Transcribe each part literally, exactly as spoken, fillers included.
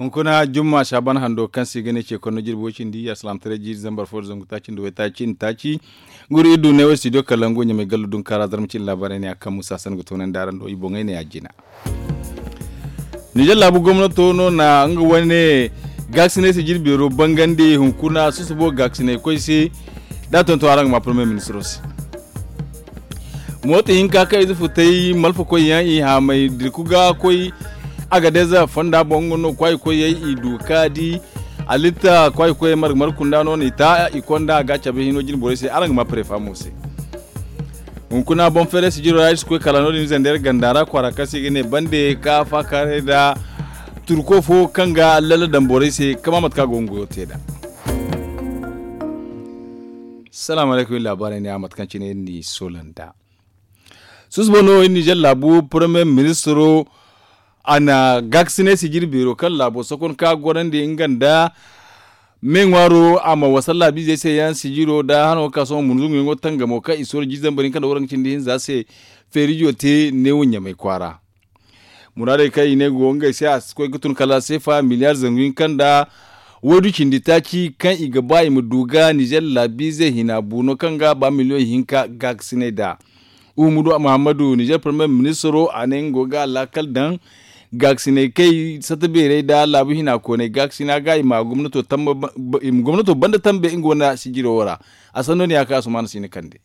Hunkuna jumma saaban hando kaŋ se i ga ne ce konno jirbi way cindi asalaamataray jiiri zambar fo da zangu taaci nda waytaaci nda taaci. Guru iri du ne wo studio kalangu ɲamay gallu dunkaara zarma cindi laabaarey ne a kaŋ musa san ga toonandi araŋ do i boŋey ne a jina. Nizer laabu gomnato no na nga wane gaakasinay sijir beero bangandi hunkuna susubo gaakasinay koy se. Da a tonton araŋ ga ma premier ministro se. Mooto hinka kaŋ ize futay malfakoy yaŋ i haamay dirku ga koy. Agadez fonda boŋ nga no kwaaykoyey i du ka di. Alitta kwaaykoyey marga marga kunda no no i ta i konda a ga cabe hino jine borey se araŋ ga ma prefa mo se. Hunkuna boŋ feeray sijiro ra iri si koy kala no- din zandar ganda ra kwaara kaŋ se i ga ne bande ka faakaaray nda turko fo kaŋ ga lalla daŋ borey se kama mate kaŋ a go ga goyo te nd'a. Salaamu alaykum iri laabaarey ne a mate kaŋ cine iri n'i soola nd'a. Susubo no iri nizer laabu premier ministro a na gaakasinay sijir beero kaŋ laabo sokon ka gorandi nga nda me ŋwaaro a ma wasa laabiizey se yaŋ sijiro nda hano ga ka sohõ munzunguyaŋo tangamo kaŋ i sooro jiiri zambar hinka nda waranka cindi hinza se feerijo te neewo ɲamay kwaara. Muraadey kaŋ i ne go ngey se a si koy ga tun kala seefa miliyar zangu hinka nda waydu cindi taaci kaŋ i ga ba i ma du ga nizer laabiizey hina buuno kaŋ ga ba miliyoŋ hinka gaakasinay nd'a. Uhumudu muhammadu nizer premier ministro a ne nga go ga a laakal daŋ gaakasinay kay sata beerey nda laabu hina kooney gaakasina ga i ma gomnato banda tambe nga wane sijiro wo ra. A sanno ne ya kaŋ asumaana si ni kande.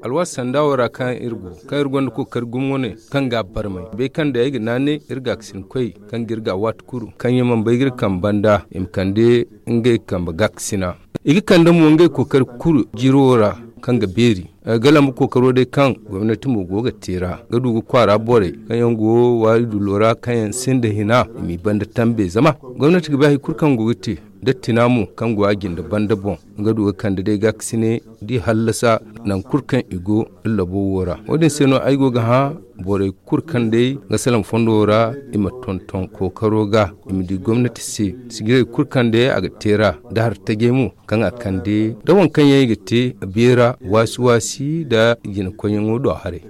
Alwaati sanda wo ra kaŋ iri go kaŋ iri gonda kookari gumo wane kaŋ ga a barmay bay kaŋ day ay ga naanay iri gaakasinkoy kaŋ ga iri ga a waati kulu kaŋ yaŋ mana bay ga iri kambe banda i ma kande ngey kambe gaakasina. I ga kande mo ngey kookari kulu jiro wo ra kaŋ ga beeri. Ay ga lamba kookaro day kaŋ gomnati mo go ga te ra ga du ga kwaara borey kaŋ yaŋ go waari dullo ra kaŋ yaŋ sinda hina i m'i banda tambe zama gomnati ga bay hari kulu kaŋ go ga te da tina mo kaŋ go a jinde banda boŋ. Nga du ga kande day gaakasine da i hallasa nangu kulu kaŋ i go labo wo ra wo- din se no ay go ga hã borey kulu kaŋ day ga salaŋ fondo ra i ma tonton kookaro ga i ma di gomnati se sijirey kulu kaŋ day a ga te ra da hari tajey mo kaŋ a kande da waŋ kaŋ yaŋ i ga te beera waasi waasi nda jinakoyyaŋo do haray.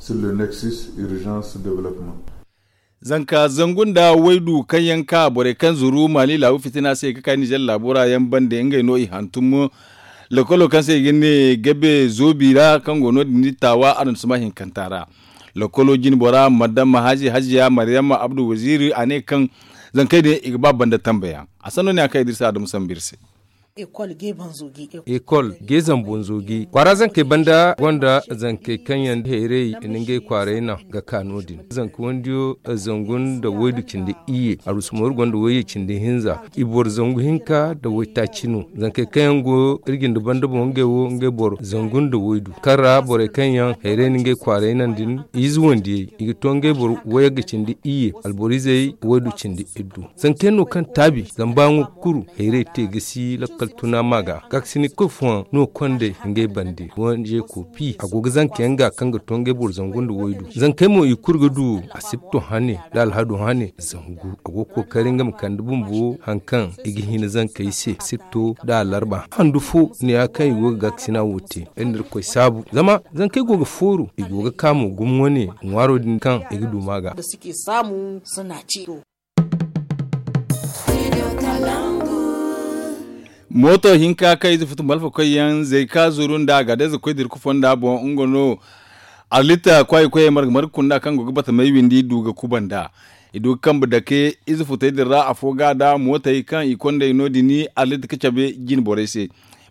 Zanka zangu nda waydu kaŋ yaŋ ka borey kaŋ zuru maali laabu fitina se ga ka nizer laabo ra yaŋ bande ngey no i hantum. Lokolo kaŋ se i ga ne gabe zoobi ra kaŋ go no- din taawa araŋ suma hinkanta ra. Lokolo jine bora madam haji hajiya maryama abdu waziiri a ne kaŋ zankey din i ga ba banda tambe yaŋ. A sanno ne a kaŋ idris adamu sambu iri se. Ekol gay zambo nzoogi kwaara zankey banda gonda zankey kaŋ yaŋ hayray na ngey kwaaray naŋ ga ka no- din zanka wandiyo zangu nda waydu cindi iyye arusu mooru gonda wayye cindi hinza i boro zangu hinka nda waytaaci no. Zankey kaŋ yaŋ go iri jinde banda boŋ ngey wo ngey boro zangu nda waydu kaŋ ra borey kaŋ yaŋ hayray na ngey kwaaray naŋ din i ize wandiyey i ga to ngey boro wayagga cindi iyye alboro izey waydu cindi iddu. Zankey no kaŋ taabi zama ba nga kuru hayray te ga si lakkal tuna ma ga gaakasini kulu fooyaŋ no kondey ngey bande wanje koopi a go ga zanka yaŋ ga kaŋ ga to ngey boro zangu nda waydu zankey mo i kulu ga du asibto hane nda alhado hane zangu a go ga kookari nga ma kande bumbo hari kaŋ i ga hina zankey se asibto nda alarba handu fo ne ya kaŋ i go ga gaakasina wo te iri na irkoy saabu zama zankey go ga fooru i go ga ka mo gumo wane ŋwaaro din kaŋ i ga du ma ga. Mooto hinka kaŋ ize futu malfakoy yaŋ zay ka zuru nda a ga day za koy dirku fonda boŋ nga no. Arlita kwaayi koyey marga marga kunda kaŋ go ga bata may windi du ga kuba nda i du ga kambe dake ize futey din ra afo ga da mootey kaŋ i kondey no- din arlita ga cabe jine borey se.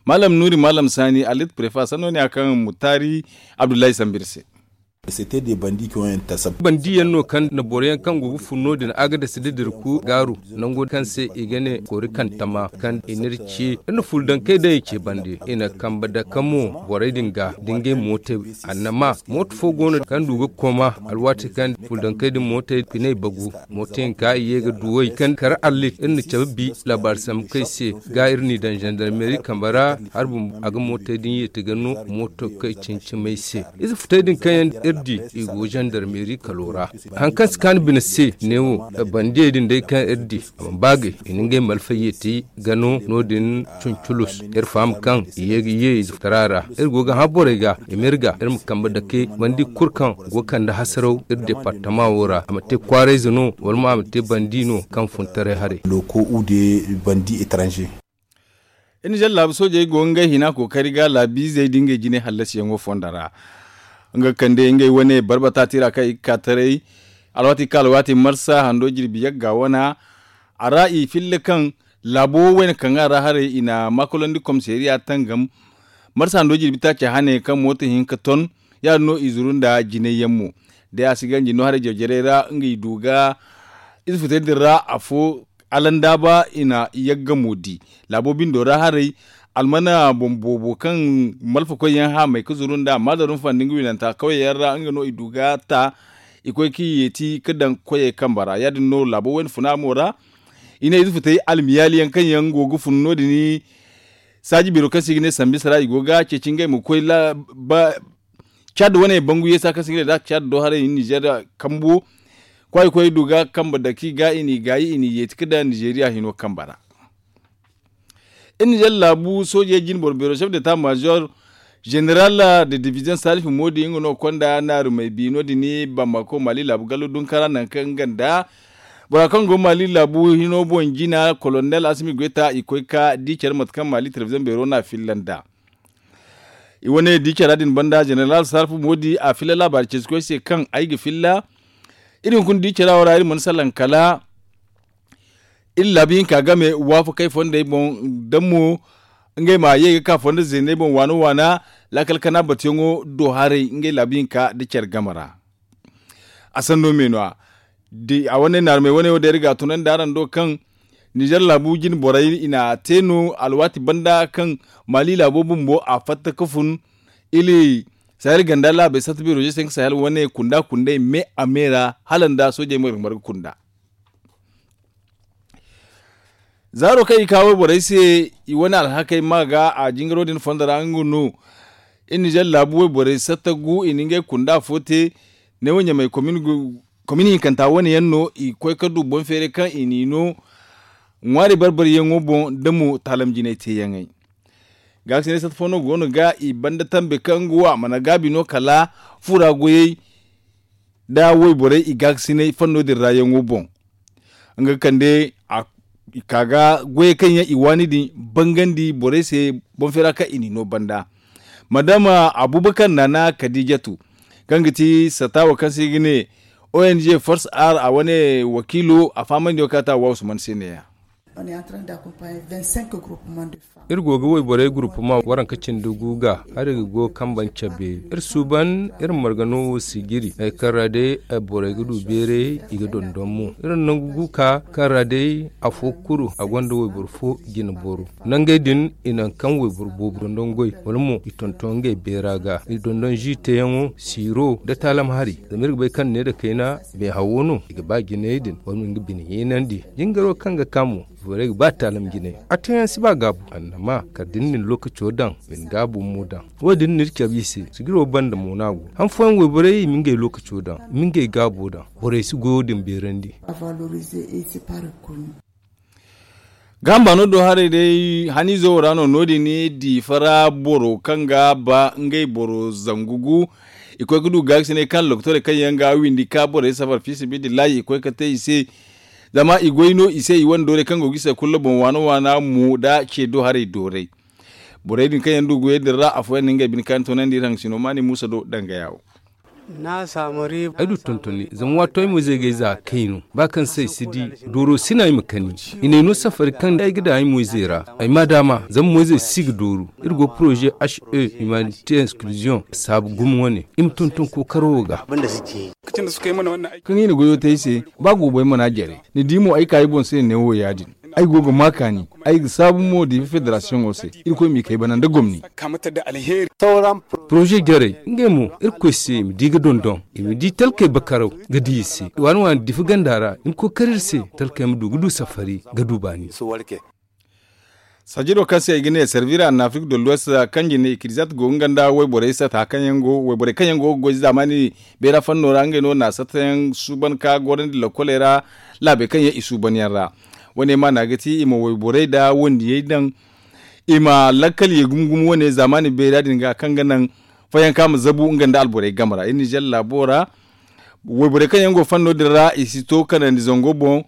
Maalam nuuri maalam saani arlita prefa sanno ne ya kaŋ mutaari abdullahi sambu iri se. Bandi yaŋ no kaŋ na boro yaŋ kaŋ go ga fun no- din a ga dasa da dirku gaaru nango kaŋ se i ga ne koori kantama kaŋ i n'iri ce iri na fuldankey daŋ i ce bande i na kambe dake mo borey din ga da ngey mootey. Annama mooto fo go no kaŋ du ga koma alwaati kaŋ fuldankey din mootey piney bagu mooto hinka i ye ga duwey kaŋ kar arlit iri na cabe bi laabaari sambu kaŋ i se ga iri n'i daŋ zandarmeri kambe ra. Hari bumbo a ga mootey din yeeti ga no mooto kaŋ i cincimey se ize futey din kaŋ yaŋ Iri di i go zandarmeeri kalo ra. Hari kaŋ si kaanu bine se neewo, bandiyey din day kaŋ iri di a mana baagay i na ngey malfayye te ga no no- din. Cunculus iri faham kaŋ i ye ga ye i zufutara ra. Iri go ga hã borey ga i ma iri ga iri ma kambe dake bandi kulu kaŋ go ga kande hasaraw iri departama wo ra a ma te kwaarayze no wala mo a ma te bandi no kaŋ fun taray haray. Loko ude bandi etranje. Iri na zala laabu soojey go ngey hina kookari ga laabiizey da ngey jine hallasiyaŋo fondo ra. Nga ga kande ngey wane barbata tira kaŋ i ga ka taray alwaati kaŋ alwaati marsa hando jirbi yagga wana. A ra i filla kaŋ laabo wayne kaŋ a ra haray i na maakolandi komisariya tangam. Marsa hando jirbi taaci hane kaŋ mooto hinka ton ya- din no i zuru nda jinay yaŋ mo. Day a si ganji no haray jawjaray ra nga i du ga ize futay din ra afo alandaaba i na yaggamo di. Laabo bindo ra haray almana boŋ boobo kaŋ malfakoy yaŋ haamay ga zuru nda maadarum fandi nga winanta kawyaŋ ra nga no i du ga ta. I koy ga i yeeti ga daŋ koyey kambe ra ya- din no laabo wayne funa mo ra. I ne ize futay almiyaali yaŋ kaŋ yaŋ go ga fun no- din. Saaji beero kaŋ se i ga ne sambisa ra i go ga ceeci ngey ma koy caad wane bangu yeesa kaŋ se i ga ne da caad do haray nizeer kambo. Kwaayi koy du ga kambe dake ga i n'i gaayi i n'i yeeti ga daŋ nizeeriya hino kambe ra. Iri na zala laabu soojey jine boro beero sef de ta maziyor, zeneral de diviziyoŋ salifu moodi nga no konda naarumey bi no- din bamako maali laabu gallo dunkara nangu kaŋ nga nda bora kaŋ go maali laabu hino boŋ jina kolonel asimi goyta i koy ga di care mate kaŋ maali telebiziyoŋ beero no a filla nd'a. I wane di cara din banda zeneral salifu moodi a filla laabaari ceesikoy se kaŋ ay ga filla. Iri hunkuna di cara wo ra iri mana salaŋ kala iri laabu hinka game waafakey fondey boŋ da mo ngey ma ye ga ka fondo zeeney boŋ waana waana laakal kana batuyaŋo do haray ngey laabu hinka nda care game ra. A sanno me no- ya a wane naarumey wane wo day iri ga a tunandi araŋ do kaŋ nizeer laabu jine borey i n'a te no alwaati banda kaŋ maali laabo bumbo a fatta ga fun. Ili sahel ganda laabey satta beero ze se nga sahel wane kunda kundey me a me ra hala nda soojey marga marga kunda. Zaaro kaŋ i ka wayborey se i wane alhakey ma ga a jingaro din fondo ra nga no. Iri nizeer laabu wayborey satta gu i na ngey kunda fo te. Neewo ɲamey komin hinkanta wane yaŋ no i koy ga du boŋ feeray kaŋ i n'i no ŋwaari bar-bariyaŋo boŋ da mo taalam jinay teeyaŋey. Gaakasinay satta fo no go no ga i banda tambe kaŋ nga wo a mana gaabi no kala fura goyey nda wayborey i gaakasinay fanno din ra yaŋo boŋ. Nga ga kande i ka ga goyey kaŋ yaŋ i waani din bangandi borey se boŋ feera kaŋ i n'i no banda. Madama abubakar naana kadijatu kaŋ ga ti sata wo kaŋ se i ga ne ong force ar a wane wakiilo a fahamandi wo kaŋ a ta wa usman se ne- ya. Iri go ga wayborey gurupuma waranka cindi gu ga hari ga go kambe cabe iri suuban iri marga no wo si jiri hari kaŋ ra day borey ga du beeray i ga dondon mo iri na nangu gu ka kaŋ ra day afo kulu a gonda wayboro fo jine boro nangey din i naŋ kaŋ wayboro boobo dondon goy wala mo i tonton ngey beera ga i dondon zi teeyaŋo siiro nda taalam hari zama iri ga bay kaŋ ne nda kayna beehawo no i ga ba jinayey din wala mo nga bine heenandi jingaro kaŋ ga ka mo borey ga ba taalam jinay a teeyaŋ si ba gaabu annama kala da ni na ni lookaco daŋ ma ni gaabu mo daŋ wo- din no iri cabe i se sijiro banda mo no a go han fooyaŋ wayborey i ma ngey lookaco daŋ i ma ngey gaabo daŋ borey si goyo din beerandi. Gaaham baano do haray day haniizo wo ra no no- din diifa ra boro kaŋ ga ba ngey boro zangu gu i koy ga du gaakasinay kaŋ lokotorey kaŋ yaŋ ga windi ka borey safar fiisabilillahi i koy ga te i se. Zama i goy no i se i wane doorey kaŋ go ga i se kulu boŋ waana waana mo nda ce do haray doorey. Borey din kaŋ yaŋ du goyey din ra afooyaŋ na ngey bine kaani toonandi iri haŋ sino maani muusa do dangaya wo. Ay du tontoni zama waato ay mo zay ga ay za kay no ba kaŋ se ay si di dooro si no ay ma kani i n'ay no safari kaŋ ay ga daŋ ay mo izey ra ay ma daama zama mo izey si ga dooru iri go poroze h e humanité exclusion saabu gumo wane i ma tonton kookaro wo ga. Kaŋ i na goyo te ay se ba goobo ay mana jare ni di mo ay ka ay boŋ se neewo ya- din. Ay go ga ma kaani ay ga saabu mo diifa federasiyoŋo se irkoy m'i kay bana nda gomni. Poroze jarey ngey mo irkoy se i ma di ga dondon i ma di talkey bakaraw ga di i se waani waani diifa ganda ra i ma kookari iri se talkey ma du ga du safari ga du baani. Sajiro kaŋ se i ga ne servira na afrik de l'ouest, kaŋ jine i kirizat go nga nda wayborey sata kaŋ yaŋ go wayborey kaŋ yaŋ go ga goy zaamaani beera fanno ra ngey no na sata yaŋ suuban ka gorandi lakoley ra. Laabey kaŋ yaŋ i suuban yaŋ ra wane maana ga ti i ma wayborey nda wandiyey daŋ i ma lakkal ye gumo gumo wane zaamaani beera din ga kaŋ ga naŋ fayanka ma zabu nga nda alborey game ra iri nizer laabo ra. Wayborey kaŋ yaŋ go fanno din ra i si to kanandi zango boŋ.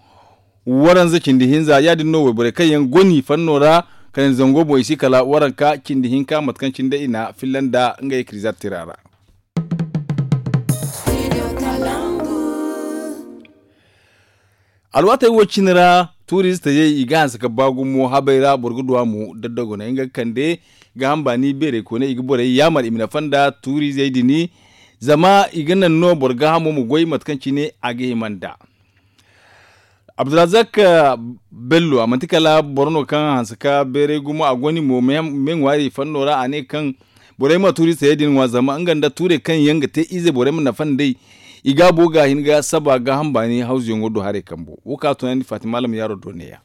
Waranza cindi hinza ya- din no wayborey kaŋ yaŋ goni fanno ra kanandi zango boŋ i si kala waranka cindi hinka mate kaŋ cine day i na filla nda ngey kirizat tira ra. Alwaatey wo- cine ra tuuristey i ga hanse ga ba gumo habey ra boro ga du a mo daddagoney nga ga kande ga hamba ni beerey kooney i ga borey yaamar i ma nafa nda tuurizey din. Zama i ga naŋ no boro gaahamo ma goy mate kaŋ cine a ga hima nd'a. Abdulrazak bello a manti kala boro no kaŋ hanse ka beeray gumo a go ni mo me ŋwaari fanno ra a ne kaŋ borey ma tuuri sayey din ŋwa zama nga nda tuurey kaŋ yaŋ ga te ize borey ma nafa nd'ey. I gaabo ga hin ga saba gaaham baani hawzuyaŋo do haray kambo wo kaŋ a tunandi fatima alam yaaro do neeya.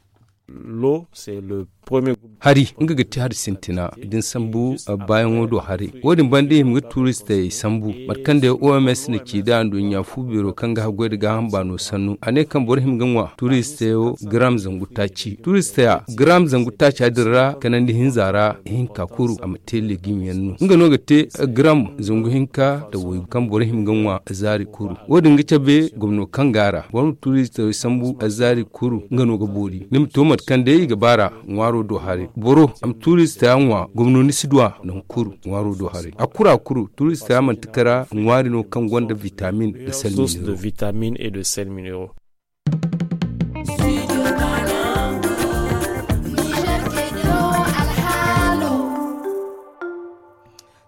Hari nga ga ti hari sintina da ni sambu baayaŋo do haray. Wo- din banda i hima ga tuuristey sambu mate kaŋ day oms na ci nd'a nduɲɲa fu beero kaŋ ga haggoy nda gaaham baano sannu a ne kaŋ boro hima ga ŋwa tuuristeyo garam zangu taaci tuuristeya garam zangu taaca din ra kanandi hinza ra ihinka kuru a ma te legim yaŋ no nga no ga te garam zangu hinka nda waygu kaŋ boro hima ga ŋwa zaari kuru. Wo- din ga cabe gomno kaŋ go a ra boro ma tuuristeyo sambu zaari kuru nga no ga boori ni ma to mate kaŋ day i ga ba ra. Ŋwaaro do haray boro a ma tuurista ŋwa gomno ni si du a nangu kuru ŋwaaro do haray a kuru a kuru tuurista manti kara ŋwaari no kaŋ gonda vitamin nda sel minero.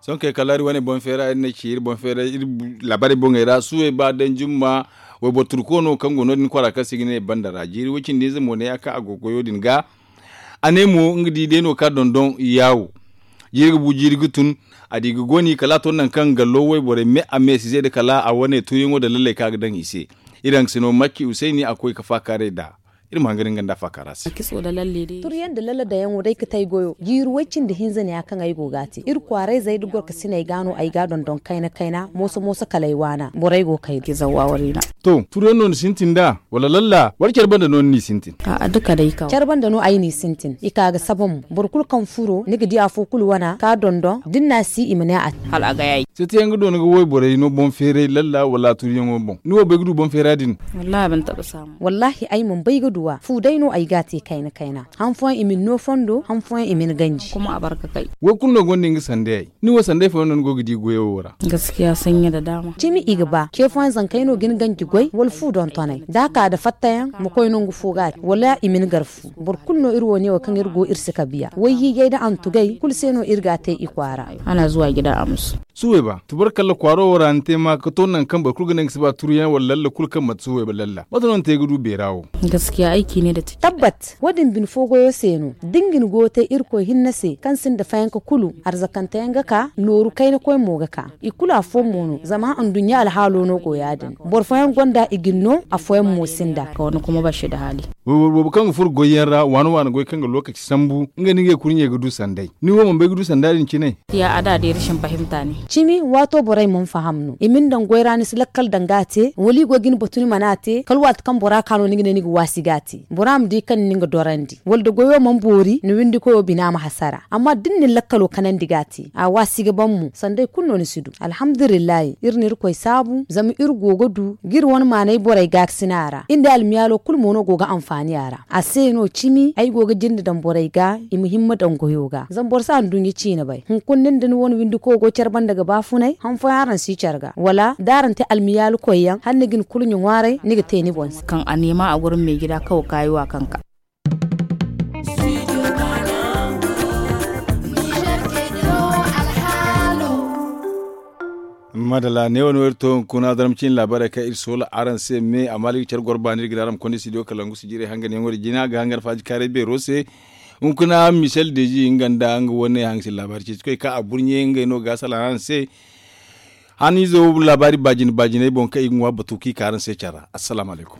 Sohõ kay kala iri wane boŋ feera iri na ci iri boŋ feera iri laabaarey boŋey ra suwey ba daŋ jumma. Wayboro turko no kaŋ go no- din kwaara kaŋ se i ga ne banda ra jiiri way- cindi ize mo ne a ka a go goyo din ga. A ne mo nga di day no ka dondon yaawo. Jiiri ga bu jiiri ga tun a di ga goni kala a to nangu kaŋ gallo wayborey me a me si ze nda kala a wane tuuyaŋo nda lalley kaŋ a ga daŋ i se. Iri haŋ ga si no macci usayni a koy ga faakaaray nd'a. Iri ma hangan nga nda a faakaara se. Turyaŋ nda lalla dayaŋo day ga te ay goyo jiiri way- cindi hinza ne ya kaŋ ay go ga a te iri kwaarayzey nda gorkasiney ga no ay ga a dondon kayna kayna mooso mooso kala ay waana borey go kayna. To turuyaŋ no ni sintin nd'a wala lalla wala care banda no ni n'i sintin? Care banda no ay n'i sintin i ka ga saba mo boro kulu kaŋ furo ni ga di afo kulu wana ka dondon da ni n'a si i ma ne a te. Setiyaŋ ga do ni ga wayborey no boŋ feeray lalla wala a turuyaŋo boŋ ni wo bay ga du boŋ feera din? Wallaahi ay mana bay ga du a fu day no ay ga a te kayna kayna. Han fooyaŋ i ma ni no fondo han fooyaŋ i ma ni ganji. Wo kulu no gonda nga sandayey. Ni wo sanday fooyaŋ no ni go ga di goyo wo ra? Cimi i ga ba ce fooyaŋ zankey no ga ni ganji goy wala fu dontoney da a ka nda fattayaŋ ma koy nangu fo ga a te wala i ma ni gar fu. Boro kulu no iri wo ne wo kaŋ iri go iri si kabiya wayhiijay nda antugay kulu se no iri ga a te i kwaara. Suwey ba tubarkalla kwaaro wo ra ni te ma ga to nangu kaŋ boro kulu ga ne nga si ba turuyaŋ wala lalla kulu kaŋ manti suwey ba lalla mate no ni te ga du beera wo? Tabbat wo- din bine fo goyo se no da ni ga ni go ga te irkoy hinne se kaŋ sinda fayanka kulu arzakanteyaŋ ga ka nooru kayna koy mo ga ka. I kulu afooyaŋ mo no zama nduɲɲa alhaalo no go ya- din. Boro fooyaŋ gonda i ga ni no afooyaŋ mo sinda. Boobo kaŋ ga furo goyyaŋ ra waana waana goy kaŋ ga lookaci sambu nga no ngey kurɲey ga du sanday ni wo mana bay ga du sanda din cine? Cimi waato borey mana faham no i ma ni daŋ goy ra ni si lakkal daŋ ga a te wala i go ga ni batu ni mana a te kala waati kaŋ bora ka no ni ga ne ni ga waasi ga a te bora ma di kaŋ ni nga dorandi wala da goyo mana boori ni windikoyo bina ma hasara amma da ni na ni lakkalo kanandi ga a te a waasi ga ban mo sanday kulu no ni si du alhamdulillahi iri na irkoy saabu zama iri go ga du ga iri wane maanay borey gaakasina ra iri nda almiyaalo kulu mo no go ga anfaani a ra a se no cimi ay go ga jinde daŋ borey ga i ma himma daŋ goyo ga zama boro si anduɲɲa ciine bay hunkuna nin da ni wane windiko go care banda ga baafunay han fooyaŋ araŋ si care ga wala da araŋ te almiyaalu koyyaŋ hala ni ga ni kurɲe ŋwaaray ni ga te ni boŋ se. Kaŋ a neema a goro meejida kawo kaayi wa kaŋ ka. Madalla ne wo no iri to hunkuna zarma ciine laabaarey kaŋ iri soola araŋ se me amma iri ga care goro baani iri ga ne araŋ ma konda studio kalangu sijirey hanganyaŋo din jina ga hangan faaji kaaray beero se. Hunkuna michel deji nga nda nga wane hanse laabaari ceeci koy kaŋ a burɲe ngey no ga salaŋ araŋ se. Haniizo laabaari baajine baajiney boŋ kaŋ i ga ŋwa batu kaŋ i ka araŋ se care ra assalaamu alaykum.